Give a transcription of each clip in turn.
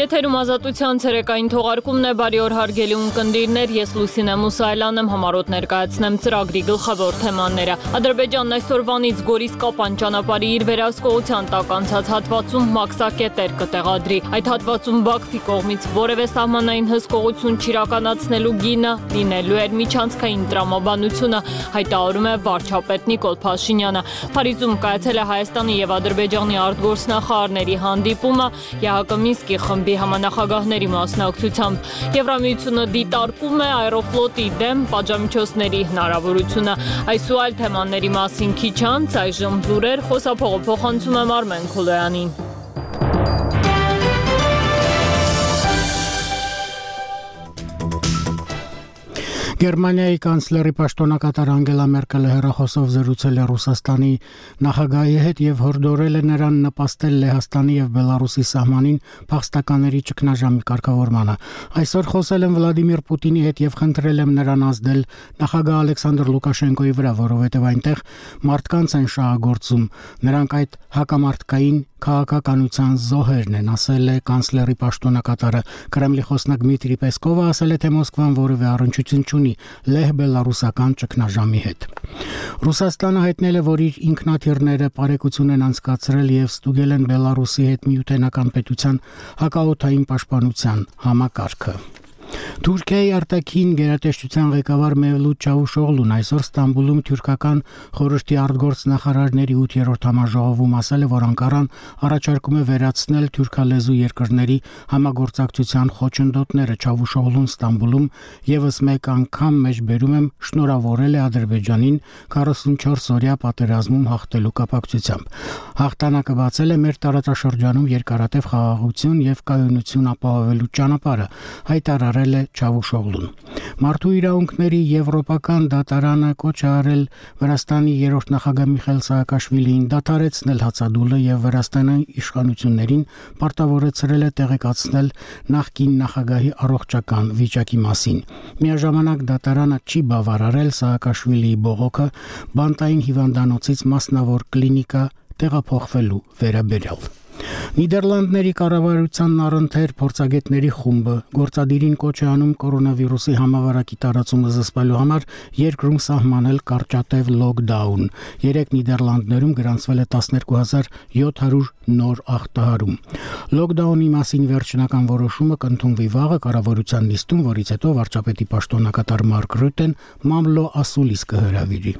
Եթերում ազատության ցերեկային թողարկումն է, բարի օր հարգելի ունկնդիրներ, ես Լուսինե Մուսայելան եմ, համառոտ ներկայացնեմ ծրագրի գլխավոր թեմաները։ Ադրբեջանն այսօրվանից Գորիս-Կապան ճանապարհի իր վերահսկողության տակ անցած հատվածում մաքսակետեր կտեղադրի։ Այդ հատվածում Բաքվի կողմից որևէ սահմանային հսկողություն չիրականացնելու գինը լինելու էր միջանցքային տրամաբանությունը, հայտարարում է վարչապետ Նիկոլ Փաշինյանը։ Փարիզում կայացել է Հայաստանի եւ Ադրբեջանի արտգործնախարարների հանդիպումը, ԵՀԿ Մինսկի խմբի համանախագահների մասնակցությամբ։ Եվրամիությունը դիտարկում է Aeroflot-ի դեմ պատժամիջոցների հնարավորությունը։ Այս ու այլ թեմաների մասին քիչ անց այժմ լուրեր, խոսափողը փոխանցում եմ Արմեն Քոլոյանին։ Գերմանիայի կանցլերի պաշտոնակատար Անգելա Մերկելը հեռախոսով զրուցել է Ռուսաստանի նախագահի հետ եւ հորդորել է նրան նպաստել Լեհաստանի եւ Բելարուսի սահմանին փախստականների ճգնաժամի կարգավորմանը։ Այսօր խոսել եմ Վլադիմիր Պուտինի հետ եւ խնդրել եմ նրան ազդել նախագահ Ալեքսանդր Լուկաշենկոյի վրա, որովհետեւ այնտեղ մարդկանց են շահագործում, նրանք այդ հակամարտկային քաղաքականության զոհերն են, ասել է կանցլերի պաշտոնակատարը։ Կրեմլի խոսնակ Դմիտրի Պեսկովը ասել է, թե Մոսկվան որևէ առնչություն չունի լեհ-բելարուսական ճգնաժամի հետ։ Ռուսաստանը հայտնել է, որ իր ինքնաթիռները պարեկություն են անցկացրել եւ ստուգել են Բելարուսի հետ միութենական պետության հակաօդային պաշտպանության համակարգը։ Թուրքիայի արտաքին գերատեսչության ղեկավար Մևլութ Չավուշօղլուն այսօր Ստամբուլում թուրքական խորհրդի արտգործնախարարների 8-րդ համաժողովում ասել է, որ Անկարան առաջարկում է վերացնել թուրքալեզու երկրների համագործակցության խոչընդոտները։ Չավուշօղլուն Ստամբուլում եւս մեկ անգամ մեջբերում եմ շնորհավորել է Ադրբեջանին 44-օրյա պատերազմում հաղթելու կապակցությամբ։ Հաղթանակը բացել է մեր տարածաշրջանում երկարատև խաղաղություն եւ կայունություն ապահովելու ճանապարհը, հայտարարել է Չավուշօղլուն։ Մարդու իրավունքների եվրոպական դատարանը կոչ է արել Վրաստանի երրորդ նախագահ Միխայիլ Սահակաշվիլիին դադարեցնել հացադուլը եւ Վրաստանի իշխանություններին պարտավորեցրել է տեղեկացնել նախկին նախագահի առողջական վիճակի մասին։ Միաժամանակ դատարանը չի բավարարել Սահակաշվիլիի բողոքը բանտային հիվանդանոցից մասնավոր կլինիկա տեղափոխվելու վերաբերյալ։ Նիդերլանդների կառավարությանն առընթեր փորձագետների խումբը գործադիրին կոչ է անում կորոնավիրուսի համավարակի տարածումը զսպելու համար երկրում սահմանել կարճատև լոկդաուն։ Երեք Նիդերլանդներում գրանցվել է 12700 նոր ախտահարում։ Լոկդաունի մասին վերջնական որոշումը կընդունվի վաղը կառավարության նիստում, որից հետո վարչապետի պաշտոնակատար Մարկ Ռյուտեն մամլո ասուլիս կհրավիրի։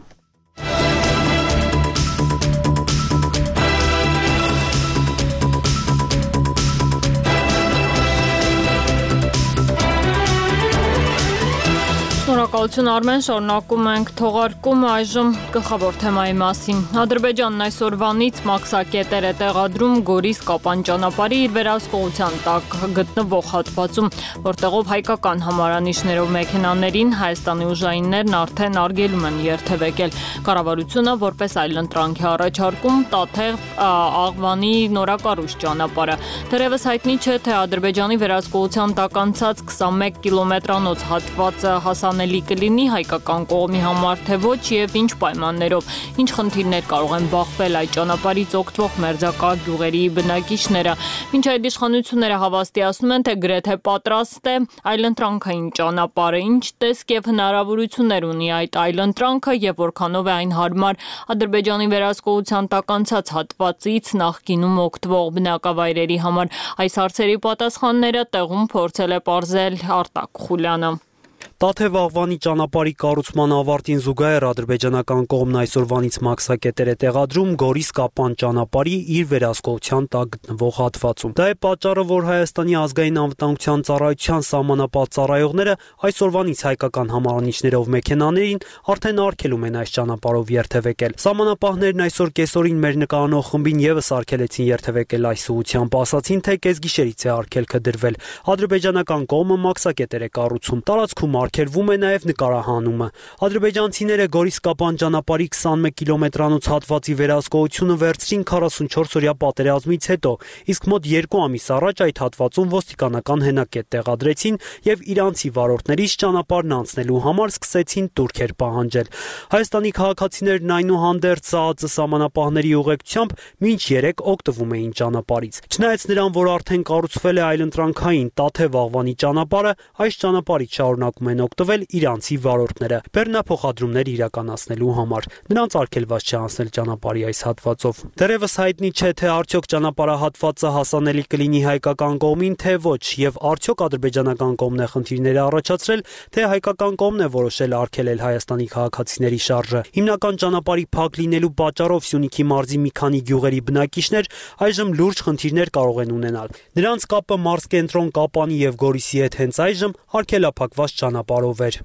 Շնորհակալություն Արմեն, շարունակում ենք թողարկումը այժմ գլխավոր թեմայի մասին։ Ադրբեջանն այսօրվանից մաքսակետեր է տեղադրում Գորիս-Կապան ճանապարհի իր վերահսկողության տակ գտնվող հատվածում, որտեղով հայկական համարանիշներով մեքենաներին Հայաստանի ուժայիններն արդեն արգելում են երթևեկել։ Կառավարությունը որպես այլընտրանք է առաջարկում Տաթև Աղվանի նորակառույց ճանապարհը։ Դեռևս հայտնի չէ, թե Ադրբեջանի վերահսկողության տակ անցած 21 կիլոմետրանոց հատվածը հասանելի կլինի հայկական կողմի համար, թե ոչ եւ ինչ պայմաններով, ինչ խնդիրներ կարող են բախվել այդ ճանապարհից օգտվող մերձակա գյուղերի բնակիչները։ Մինչ այդ իշխանությունները հավաստիացնում են, թե գրեթե պատրաստ է այլընտրանքային ճանապարհը, ինչ տեսք եւ հնարավորություններ ունի այդ այլընտրանքը եւ որքանով է այն հարմար Ադրբեջանի վերահսկողության տակ անցած հատվածից նախկինում օգտվող բնակավայրերի համար։ Այս հարցերի պատասխանները տեղում փորձել է պարզել Արտակ Խուլյանը։ Տաթև Աղվանի ճանապարհի կառուցման ավարտին զուգահեռ ադրբեջանական կողմն այսօրվանից մաքսակետեր է տեղադրում Գորիս-Կապան ճանապարհի իր վերահսկողության տակ գտնվող հատվածում։ Դա է պատճառը, որ Հայաստանի ազգային անվտանգության ծառայության սահմանապահ ծառայողները այսօրվանից հայկական համարանիշներով մեքենաներին արդեն արգելում են այս ճանապարհով երթևեկել։ Սահմանապահներն այսօր կեսօրին մեր նկարանող խմբին եւս արգելեցին երթևեկել այս ուղղությամբ, ասացին, թե կեսգիշերից է արգելքը դրվել։ Ադրբեջանական կողմը մաքսակետեր է կառուցում։ Տարածքում Արգելվում է նաև նկարահանումը։ Ադրբեջանցիները Գորիս-Կապան ճանապարհի 21 կիլոմետրանոց հատվածի վերահսկողությունը վերցրին 44-օրյա պատերազմից հետո, իսկ մոտ 2 ամիս առաջ այդ հատվածում ոստիկանական հենակետ տեղադրեցին եւ իրանցի վարորդներից ճանապարհն անցնելու համար սկսեցին տուրքեր պահանջել։ Հայաստանի քաղաքացիներն այնուհանդերձ ԶԱԱԾ սահմանապահների ուղեկցությամբ մինչ 3 օգտվում էին ճանապարհից։ Չնայած նրան, որ արդեն կառուցվել է այլընտրանքային Տաթև-Աղվանի ճանապարհը, այս ճանապարհից շարունակում են օգտվել իրանցի վարորդները բեռնափոխադրումներ իրականացնելու համար։ Նրանց արգելված չէ անցնել ճանապարհի այս հատվածով։ Դեռևս հայտնի չէ, թե արդյոք ճանապարհահատվածը հասանելի կլինի հայկական կողմին, թե ոչ, եւ արդյոք ադրբեջանական կողմն է խնդիրները առաջացրել, թե հայկական կողմն է որոշել արգելել Հայաստանի քաղաքացիների շարժը։ Հիմնական ճանապարհի փակ լինելու պատճառով Սյունիքի մարզի մի քանի գյուղերի բնակիչներ այժմ լուրջ խնդիրներ կարող են ունենալ։ Նրանց կապը մարզկենտրոն Կապանի եւ Գորիսի հետ հենց այժմ արգելափակված ճանապարհով էր։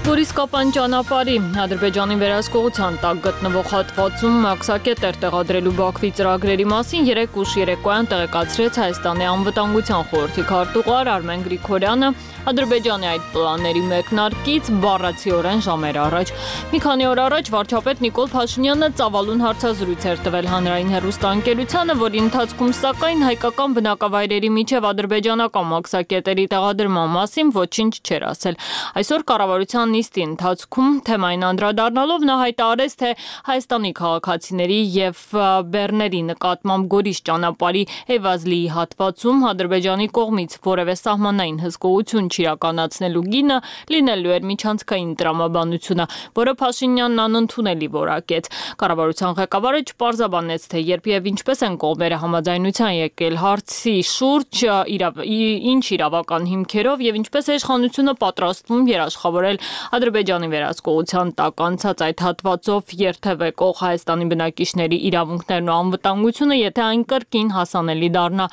Գորիս-Կապան ճանապարհի Ադրբեջանի վերահսկողության տակ գտնվող հատվածում մաքսակետեր տեղադրելու Բաքվի ծրագրերի մասին 3 ուշ երեկոյան տեղեկացրեց Հայաստանի անվտանգության խորհրդի քարտուղար Արմեն Գրիգորյանը Ադրբեջանի այդ պլանների մեկնարկից բառացիորեն ժամեր առաջ։ Մի քանի օր առաջ վարչապետ Նիկոլ Փաշինյանը ծավալուն հարցազրույց էր տվել հանրային հեռուստաընկերությանը, որի ընթացքում սակայն հայկական բնակավայրերի միջև ադրբեջանական մաքսակետերի տեղադրման մասին ոչինչ չէր ասել։ Այսօր կառավարության նիստի ընթացքում թեմային անդրադառնալով նա հայտարարեց, թե Հայաստանի քաղաքացիների եւ բեռների նկատմամբ Գորիս ճանապարհի Էվազլիի հատվածում Ադրբեջանի կողմից որևէ սահմանային հսկողություն չիրականացնելու գինը լինելու էր միջանցքային տրամաբանությունը, որը Փաշինյանն անընդունելի որակեց։ Կառավարության ղեկավարը չպարզաբանեց, թե երբ եւ ինչպես են կողմերը համաձայնության եկել հարցի շուրջ, ինչ իրավական հիմքերով եւ ինչպես է իշխանությունը պատրաստվում երաշխավորել Ադրբեջանի վերահսկողության տակ անցած այդ հատվածով երթևեկող Հայաստանի բնակիչների իրավունքներն ու անվտանգությունը, եթե այն կրկին հասանելի դառնա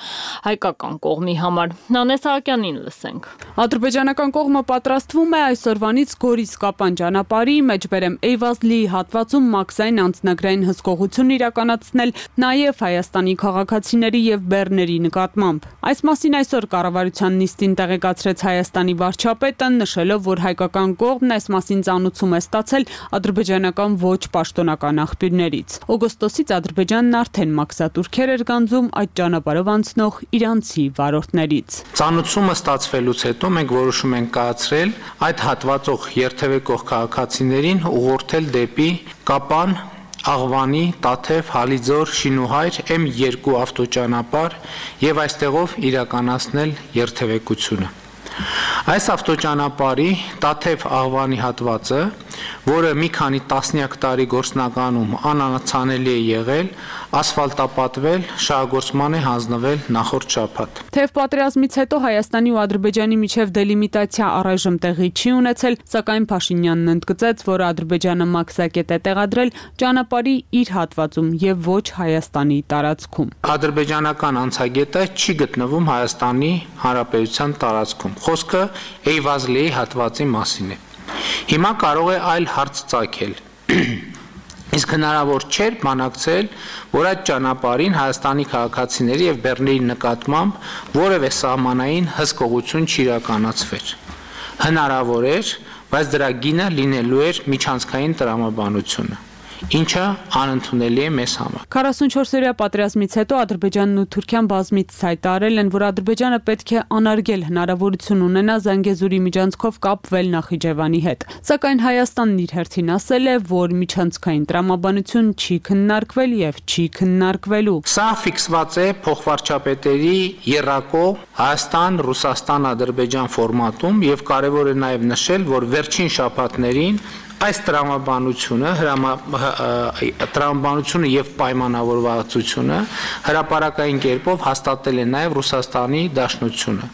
հայկական կողմի համար։ Նանես Սահակյանին լսենք։ Ադրբեջանական կողմը պատրաստվում է այսօրվանից Գորիս-Կապան ճանապարհի մեջբերեմ Էյվազլիի հատվածում մաքսային անձնագրային հսկողություն իրականացնել նաև Հայաստանի քաղաքացիների եւ բեռների նկատմամբ։ Այս մասին այսօր կառավարության նիստին տեղեկացրեց Հայաստանի վարչապետը, նշելով, որ հայկական կողմն այս մասին ծանուցում է ստացել ադրբեջանական ոչ պաշտոնական աղբյուրներից։ Օգոստոսից Ադրբեջանն արդեն մաքսատուրքեր էր գանձում այդ ճանապարհով անցնող իրանցի վարորդներից։ Ծանուցումը ստացվելուց հետո մենք որոշում ենք կայացրել այդ հատվածող երթևեկող քաղաքացիներին ուղղորդել դեպի Կապան, Աղվանի, Տաթև, Հալիձոր, Շինուհայր M2 ավտոճանապարհ եւ այստեղով իրականացնել երթևեկությունը։ Այս ավտոճանապարհի Տաթև Աղվանի հատվածը, որը մի քանի տասնյակ տարի գործնականում անանացանելի է եղել, ասֆալտապատվել, շահագործման է հանձնվել նախորդ շաբաթ։ Թեև պատերազմից հետո Հայաստանի ու Ադրբեջանի միջև դելիմիտացիա առայժմ տեղի չի ունեցել, սակայն Փաշինյանն ընդգծեց, որ Ադրբեջանը մաքսակետ է տեղադրել ճանապարհի իր հատվածում եւ ոչ Հայաստանի տարածքում։ Ադրբեջանական անցագետը չի գտնվում Հայաստանի Հանրապետության տարածքում։ Խոսքը Էյվազլիի հատվածի մասին է։ Հիմա կարող է այլ հարց ծագել։ Իսկ հնարավոր չէր բանակցել, որ այդ ճանապարհին Հայաստանի քաղաքացիների եւ բեռների նկատմամբ որևէ սահմանային հսկողություն չիրականացվեր։ Հնարավոր էր, բայց դրա գինը լինելու էր միջանցքային տրամաբանությունը, ինչը անընդունելի է մեզ համար։ 44-օրյա պատերազմից հետո Ադրբեջանն ու Թուրքիան բազմիցս հայտարարել են, որ Ադրբեջանը պետք է անարգել հնարավորություն ունենա Զանգեզուրի միջանցքով կապվել Նախիջևանի հետ։ Սակայն Հայաստանն իր հերթին ասել է, որ միջանցքային տրամաբանություն չի քննարկվել եւ չի քննարկվելու։ Սա ֆիքսված է փոխվարչապետերի եռակող Հայաստան-Ռուսաստան-Ադրբեջան ֆորմատում եւ կարեւոր է նաեւ նշել, որ վերջին շաբաթներին այս տրամաբանությունը եւ պայմանավորվածությունը հրապարակային կերպով հաստատել է նաեւ Ռուսաստանի Դաշնությունը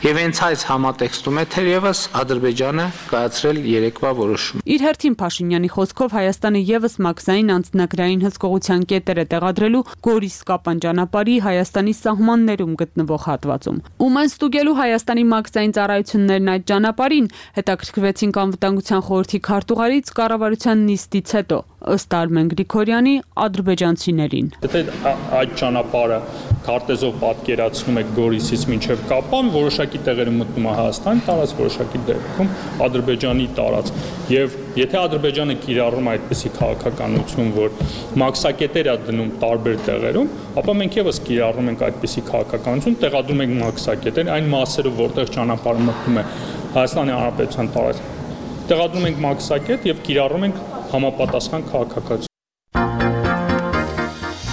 եւ հենց այս համատեքստում է թերևս Ադրբեջանը կայացրել երեկվա որոշում։ Իր հերթին Փաշինյանի խոսքով Հայաստանը եւս մաքսային անձնագրային հսկողության կետեր է տեղադրելու Գորիս-Կապան ճանապարհի Հայաստանի սահմաններում գտնվող հատվածում։ Ում են ստուգելու Հայաստանի մաքսային ծառայություններն այդ ճանապարհին, հետաքրքրվեցինք անվտանգության խորհրդի քարտուղարի կառավարության նիստից հետո, ըստ Արմեն Գրիգորյանի, ադրբեջանցիներին։ Եթե այդ ճանապարհը քարտեզով պատկերացնում եք Գորիսից մինչև Կապան, որոշակի տեղերում մտնում է Հայաստանի տարածք, որոշակի դեպքում Ադրբեջանի տարածք։ Եվ եթե Ադրբեջանը կիրառում է այդպիսի քաղաքականություն, որ մաքսակետեր է դնում տարբեր տեղերում, ապա մենք եւս կիրառում ենք այդպիսի քաղաքականություն, տեղադրում ենք մաքսակետեր այն մասերով, որտեղ ճանապարհը մտնում է Հայաստանի Հանրապետության տարածք։ Տեղադրում ենք մաքսակետ եւ կիրառում ենք համապատասխան քաղաքականություն։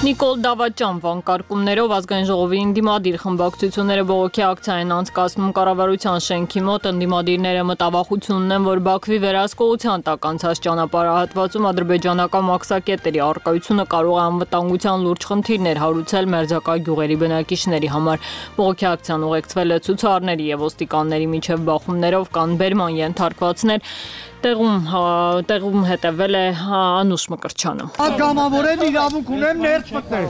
Նիկոլ Դավաճան վանկարկումներով ազգային ժողովի ընդդիմադիր խմբակցությունները բողոքի ակցիա են անցկացնում կառավարության շենքի մոտ։ Ընդդիմադիրները մտավախություն ունեն, որ Բաքվի վերահսկողության տակ անցած ճանապարհահատվածում ադրբեջանական մաքսակետերի առկայությունը կարող է անվտանգության լուրջ խնդիրներ հարուցել մերձակա գյուղերի բնակիչների համար։ Բողոքի ակցիան ուղեկցվել է ցուցարարների եւ ոստիկանների միջև բախումներով, կան բերման ենթարկվածներ։ Տեղում հետևել է Անուշ Մկրտչյանը։ Պատգամավորեն իրավունք ունեմ ներս մտնել։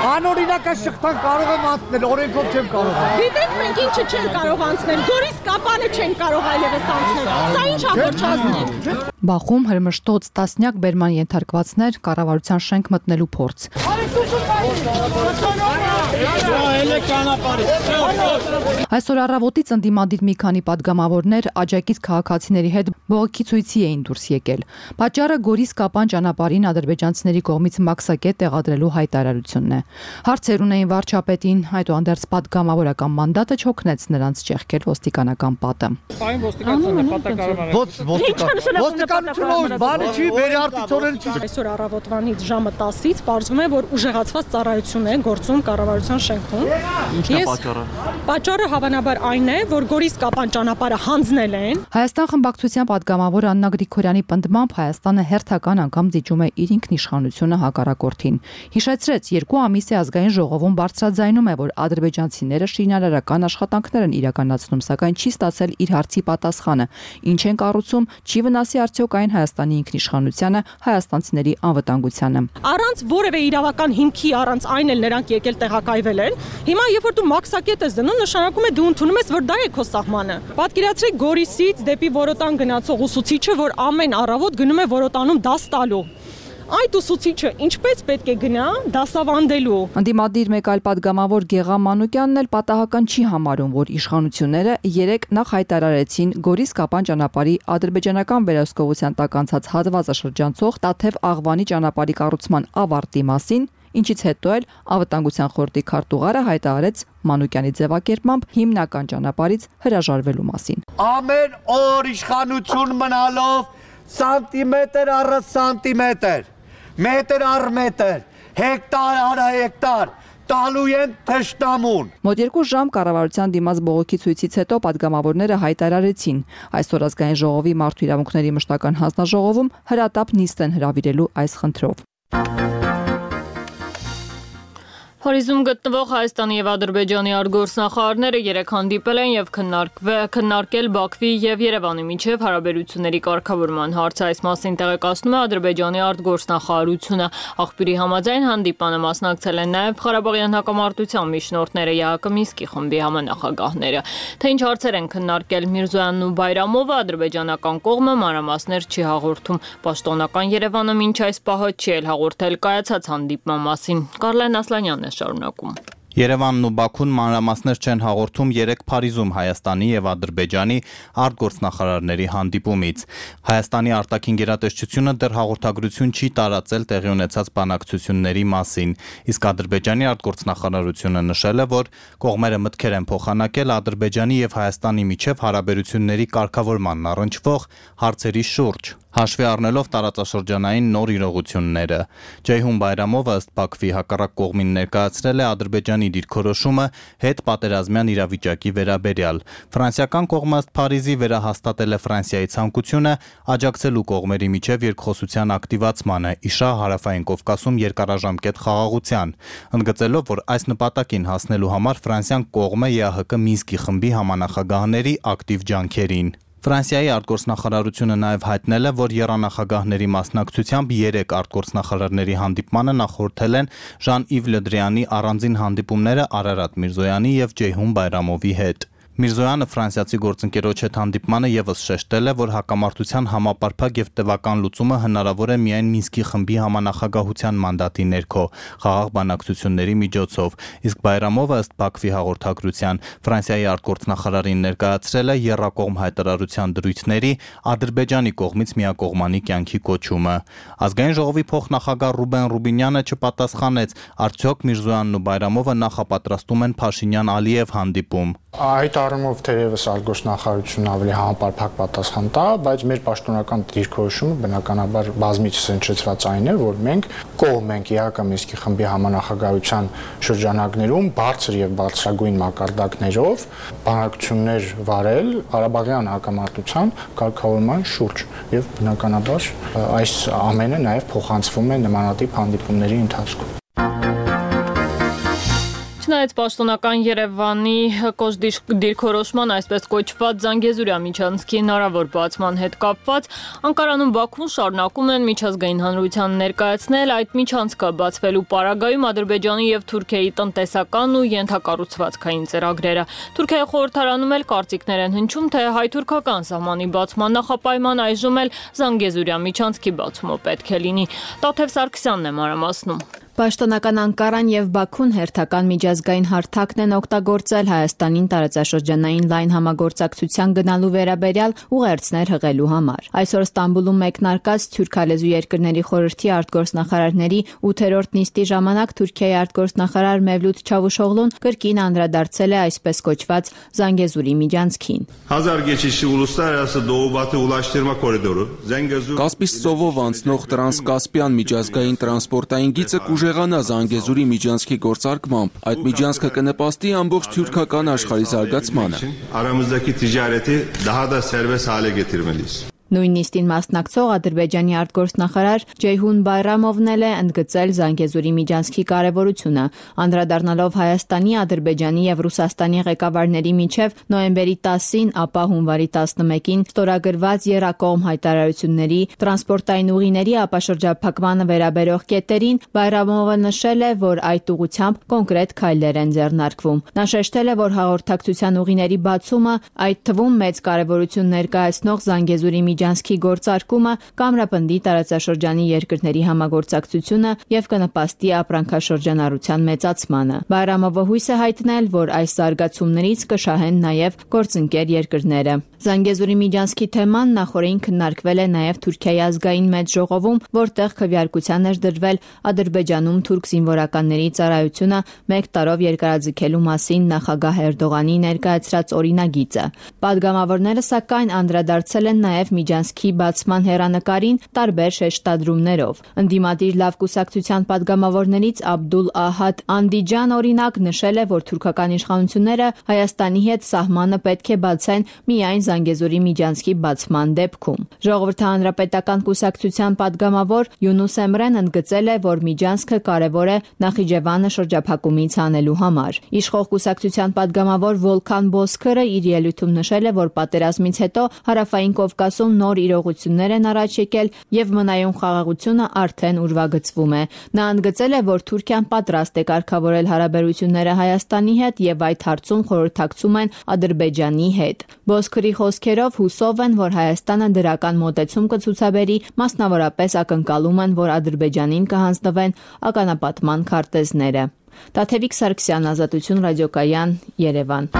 Անօրինական շղթան կարող եմ անցնել, օրենքով չեմ կարող։ Գիտեք մենք ինչը չեն կարող անցնել, Գորիս Կապանը չեն կարող այլևս անցնել։ Սա ինչ հաղորդչացնել։ Բախում հրմշտոց տասնյակ բերման ենթարկվածներ, կառավարության շենք մտնելու փորձ։ Այսօր առավոտից ընդդիմադիր մի քանի պատգամավորներ աջակից քաղաքացիների հետ բողոքի ցույցի էին դուրս եկել։ Պատճառը Գորիս Կապան ճանապարհին ադրբեջանցիների կողմից մաքսակետ տեղադրելու հայտարարությունն է։ Հարցեր ունեին վարչապետին, այդուհանդերձ պատգամավորական մանդատը չօգնեց նրանց ճեղքել ոստիկանական պատը։ Ոստիկանությունը բանը չի վերարտիցորեն չի։ Այսօր առավոտվանից ժամը 10-ից պարզվում է, որ ուժեղացված ծառայություն է գործում կառավարության շենքում։ Ինչն է պատճառը։ Պատճառը հավանաբար այն է, որ Գորիս Կապան ճանապարհը հանձնել են։ Հայաստան խմբակցության պատգամավոր Աննա Գրիգորյանի պնդմամբ Հայաստանը հերթական անգամ զիջում է իր ինքնիշխանությունը հակառակորդին։ Հիշեցրեց, 2 ամիս է ազգային ժողովում բարձրաձայնում է, որ ադրբեջանցիները շինարարական աշխատանքներ են իրականացնում, սակայն չի ստացել իր հարցի պատասխանը։ Ինչ են կառուցում, չի վնասի արդյոք այն Հայաստանի ինքնիշխանությանը, հայաստանցիների անվտանգությանը։ Առանց որևէ իրավական հիմքի, առանց այն էլ նրանք եկել տեղակայվել են։ Հիմա երբ որ դու մաքսակետ ես դնում, նշանակում է դու ընդունում ես, որ դա է քո սահմանը։ Պատկերացրեք Գորիսից դեպի Որոտան գնացող ուսուցիչը, որ ամեն առավոտ գնում է Որոտանում դաս տալու։ Այդ ուսուցիչը ինչպես պետք է գնա դասավանդելու։ Ընդդիմադիր մեկ այլ պատգամավոր Գեղամ Մանուկյանն էլ պատահական չի համարում, որ իշխանությունները երեք նախ հայտարարեցին Գորիս Կապան ճանապարհի ադրբեջանական վերահսկողության տակ անցած հատվածը շրջանցող Տաթև-Աղվանի ճանապարհի կառուցման ավարտի մասին, ինչից հետո էլ անվտանգության խորհրդի քարտուղարը հայտարարեց Մանուկյանի ձևակերպմամբ հիմնական ճանապարհից հրաժարվելու մասին։ Ամեն օր իշխանություն մնալով սանտիմետր առ սանտիմետր, մետր առ մետր, հեկտար առ հեկտար տալու են թշնամուն։ Մոտ 2 ժամ կառավարության դիմաց բողոքի ցույցից հետո պատգամավորները հայտարարեցին, այսօր ազգային ժողովի մարդու իրավունքների մշտական հանձնաժողովում հրատապ նիստ են հրավիրելու այս խնդրով։ Փարիզում գտնվող Հայաստանի եւ Ադրբեջանի արտգործնախարարները երեկ հանդիպել են եւ քննարկել Բաքվի եւ Երևանի միջև հարաբերությունների կարգավորման հարցը։ Այս մասին տեղեկացնում է Ադրբեջանի արտգործնախարարությունը։ Աղբյուրի համաձայն հանդիպանը մասնակցել են նաեւ Ղարաբաղյան հակամարտության միջնորդները ԵԱԿ Մինսկի խմբի համանախագահները։ Թե ինչ հարցեր են քննարկել Միրզոյանն ու Բայրամովը, ադրբեջանական կողմը մանրամասներ չի հաղորդում։ Պաշտոնական Երևանը մինչ այս պահը չի էլ հաղորդել կայացած հանդիպման մասին։ Կարլեն Ասլանյանն շարունակում։ Երևանն ու Բաքուն մանրամասներ չեն հաղորդում երեկ Փարիզում Հայաստանի եւ Ադրբեջանի արտգործնախարարների հանդիպումից։ Հայաստանի արտաքին գերատեսչությունը դեռ հաղորդագրություն չի տարածել տեղի ունեցած բանակցությունների մասին, իսկ Ադրբեջանի արտգործնախարարությունը նշել է, որ կողմերը մտքեր են փոխանակել Ադրբեջանի եւ Հայաստանի միջև հարաբերությունների կարգավորմանն առնչվող հարցերի շուրջ։ Հաշվի առնելով տարածաշրջանային նոր իրողությունները, Ջեյհուն Բայրամովը ըստ Բաքվի հակառակ կողմին ներկայացրել է Ադրբեջանի դիրքորոշումը հետ պատերազմյան իրավիճակի վերաբերյալ։ Ֆրանսիական կողմը ըստ Փարիզի վերահաստատել է Ֆրանսիայի ցանկությունը աջակցելու կողմերի միջև երկխոսության ակտիվացմանը, իշահ Հարավային Կովկասում երկարաժամկետ խաղաղության, ընդգծելով, որ այս նպատակին հասնելու համար Ֆրանսիան կողմ է ԵԱՀԿ Մինսկի խմբի համանախագահների ակտիվ ջանքերին։ Ֆրանսիայի արտգործնախարարությունը նաև հայտնել է, որ եռանախագահների մասնակցությամբ 3 արտգործնախարարների հանդիպմանը նախորդել են Ժան-Իվ Լը Դրիանի առանձին հանդիպումները Արարատ Միրզոյանի եւ Ջեյհուն Բայրամովի հետ։ Միրզոյանը ֆրանսիացի գործընկերոջ հետ հանդիպմանը եւս շեշտել է, որ հակամարտության համապարփակ եւ տևական լուծումը հնարավոր է միայն Մինսկի խմբի համանախագահության մանդատի ներքո, խաղաղ բանակցությունների միջոցով, իսկ Բայրամովը ըստ Բաքվի հաղորդագրության Ֆրանսիայի արտգործնախարարին ներկայացրել է եռակողմ հայտարարության դրույթների Ադրբեջանի կողմից միակողմանի կյանքի կոչումը։ Ազգային ժողովի փոխնախագահ Ռուբեն Ռուբինյանը չպատասխանեց, արդյոք Միրզոյանն ու Բայրամովը նախապատրաստում են Փաշինյան-Ալիև հանդիպում։ Այդ առումով թերևս արտգործնախարարությունն ավելի համապարփակ պատասխան տա, բայց մեր պաշտոնական դիրքորոշումը բնականաբար բազմիցս հնչեցված այն է, որ մենք կողմ ենք ԵԱՀԿ Մինսկի խմբի համանախագահության շրջանակներում բարձր եւ բարձրագույն մակարդակներով բանակցություններ վարել Ղարաբաղյան հակամարտության կարգավորման շուրջ եւ բնականաբար այս ամենը նաեւ փոխանցվում է նմանատիպ հանդիպումների ընթացքում։ Չնայած պաշտոնական Երևանի կոշտ դիրքորոշման այսպես կոչված Զանգեզուրյա միջանցքի հնարավոր բացման հետ կապված, Անկարանում Բաքուն շարունակում են միջազգային հանրության ներկայացնել այդ միջանցքը բացվելու պարագայում Ադրբեջանի եւ Թուրքիայի տնտեսական ու ենթակառուցվածքային ծրագրերը։ Թուրքիայի խորհրդարանում էլ կարծիքներ են հնչում, թե հայ-թուրքական սահմանի բացման նախապայման այժմ էլ Զանգեզուրյա միջանցքի բացումը պետք է լինի։ Տաթև Սարգսյանն է մանրամասնում։ Պաշտոնական Անկարան եւ Բաքուն հերթական միջազգային հարթակն են օգտագործել Հայաստանին տարածաշրջանային լայն համագործակցության գնալու վերաբերյալ ուղերձներ հղելու համար։ Այսօր Ստամբուլում մեկնարկած Թուրքալեզու երկրների խորհրդի արտգործնախարարների 8-րդ նիստի ժամանակ Թուրքիայի արտգործնախարար Մևլութ Չավուշօղլուն կրկին անդրադարձել է այսպես կոչված Զանգեզուրի միջանցքին։ Կասպից ծովով անցնող տրանսկասպիան միջազգային տրանսպորտային գիծը կուժեղանա Զանգեզուրի միջանցքի գործարկմամբ։ Այդ միջանցքը կնպաստի ամբողջ թուրքական աշխարհի զարգացմանը։ Նույն նիստին մասնակցող Ադրբեջանի արտգործնախարար Ջեյհուն Բայրամովն էլ է ընդգծել Զանգեզուրի միջանցքի կարևորությունը, անդրադառնալով Հայաստանի, Ադրբեջանի եւ Ռուսաստանի ղեկավարների միջև նոյեմբերի 10-ին, ապա հունվարի 11-ին ստորագրված եռակողմ հայտարարությունների տրանսպորտային ուղիների ապաշրջափակմանը վերաբերող կետերին Բայրամովը նշել է, որ այդ ուղղությամբ կոնկրետ քայլեր են ձեռնարկվում։ Նա շեշտել է, որ հաղորդակցության ուղիների բացումը, այդ թվում մեծ կարևորություն ներկայացնող Զանգեզուրի միջանցքի գործարկումը կամրապնդի տարածաշրջանի երկրների համագործակցությունը եւ կնպաստի ապրանքաշրջանառության մեծացմանը։ Բայրամովը հույս է հայտնել, որ այս զարգացումներից կշահեն նաեւ գործընկեր երկրները։ Զանգեզուրի միջանցքի թեման նախորդին քննարկվել է նաեւ Թուրքիայի ազգային մեծ ժողովում, որտեղ քվեարկության էր դրվել Ադրբեջանում թուրք զինվորականների ծառայությունը 1 տարով երկարաձգելու մասին նախագահ Էրդողանի ներկայացրած օրինագիծը։ Պատգամավորները սակայն անդրադարձել են նաեւ միջանցքի բացման հեռանկարին տարբեր շեշտադրումներով։ Ընդդիմադիր լավ կուսակցության պատգամավորներից Աբդուլ Ահադ Անդիջան օրինակ նշել է, որ թուրքական իշխանությունները Հայաստանի հետ սահմանը պետք է բացեն միայն Զանգեզուրի միջանցքի բացման դեպքում։ Ժողովրդի հանրապետական կուսակցության պատգամավոր Յունուս Էմրեն ընդգծել է, որ միջանցքը կարևոր է Նախիջևանը շրջափակումից հանելու համար։ Իշխող կուսակցության պատգամավոր Վոլքան Բոսքերը իր ելույթում նշել է, որ պատերազմից հետո Հարավային Կովկասում նոր իրողություններ են առաջ եկել եւ մնայուն խաղաղությունը արդեն ուրվագծվում է։ Նա ընդգծել է, որ Թուրքիան պատրաստ է կարգավորել հարաբերությունները Հայաստանի հետ եւ այդ հարցում խորհրդակցում են Ադրբեջանի հետ։ Բոսքերի խոսքերով հուսով են, որ Հայաստանը դրական մոտեցում կցուցաբերի, մասնավորապես ակնկալում են, որ Ադրբեջանին կհանձնվեն ականապատման քարտեզները։ Տաթևիկ Սարգսյան, Ազատություն ռադիոկայան, Երևան։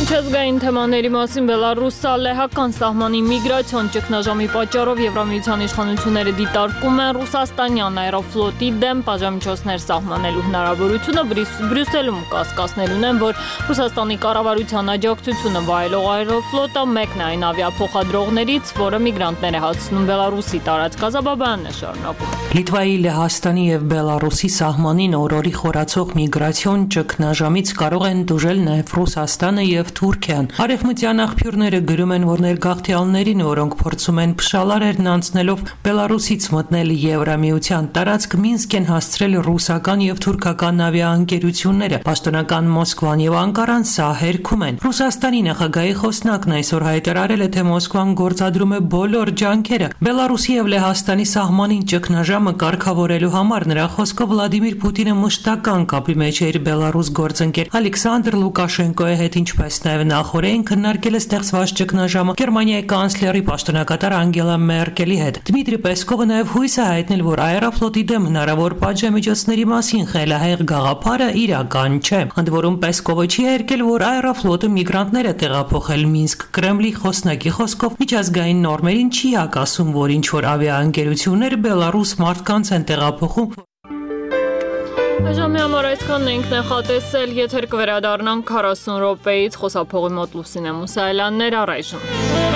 Միջազգային թեմաների մասին Բելարուս-լեհական սահմանի միգրացիոն ճգնաժամի պատճառով Եվրամիության իշխանությունները դիտարկում են ռուսաստանյան աերոֆլոտի դեմ պատժամիջոցներ սահմանելու հնարավորությունը, Բրյուսելում կասկածներ ունեն, որ Ռուսաստանի կառավարության աջակցությունը վայելող աերոֆլոտը մեկն է այն ավիափոխադրողներից, որը միգրանտներ է հասցնում Բելարուսի տարածք։ Գազաբաբյանն է շարունակում։ Լիտվայի, Լեհաստանի եւ Բելարուսի սահմանին օրորի խորացող միգրացիոն ճգնաժամից կարող են դժել նաեւ Ռուսաստանը եւ Թուրքիան։ Արևմտյան աղբյուրները գրում են, որ ներգաղթյալներին, որոնք փորձում են փշալարերն անցնելով Բելարուսից մտնել Եվրամիության տարածք, Մինսկ են հասցրել ռուսական եւ թուրքական ավիաընկերությունները։ Պաշտոնական Մոսկվան եւ Անկարան սա հերքում են։ Ռուսաստանի նախագահի խոսնակն այսօր հայտարարել է, թե Մոսկվան գործադրում է բոլոր ջանքերը Բելարուսի եւ Լեհաստանի սահմանին ճգնաժամը կարգավորելու համար։ Նրա խոսքով Վլադիմիր Պուտինը մշտական կապի մեջ է իր Բելարուս գործընկեր Ալեքսանդր Լուկաշենկոյի հետ, ինչպես նաեւ նախորդին քննարկել է ստեղծված ճգնաժամը Գերմանիայի կանցլերի պաշտոնակատար Անգելա Մերկելի հետ։ Դմիտրի Պեսկովը նաեւ հույս է հայտնել, որ Աերոֆլոտի դեմ հնարավոր պատժամիջոցների մասին խելահեղ գաղափարը իրական չէ։ Ընդ որում Պեսկովը չի հերքել, որ Աերոֆլոտը միգրանտներ է տեղափոխել Մինսկ։ Կրեմլի խոսնակի խոսքով միջազգային նորմերին չի հակասում, որ ինչ-որ ավիաընկերություններ Բելարուս մարդկանց են տեղափոխում։ Ժամի համար այսքանն ենք նախատեսել, եթեր կվերադառնանք 40 րոպեից, խոսափողի մոտ Լուսինե Մուսայելյաններ, առայժմ։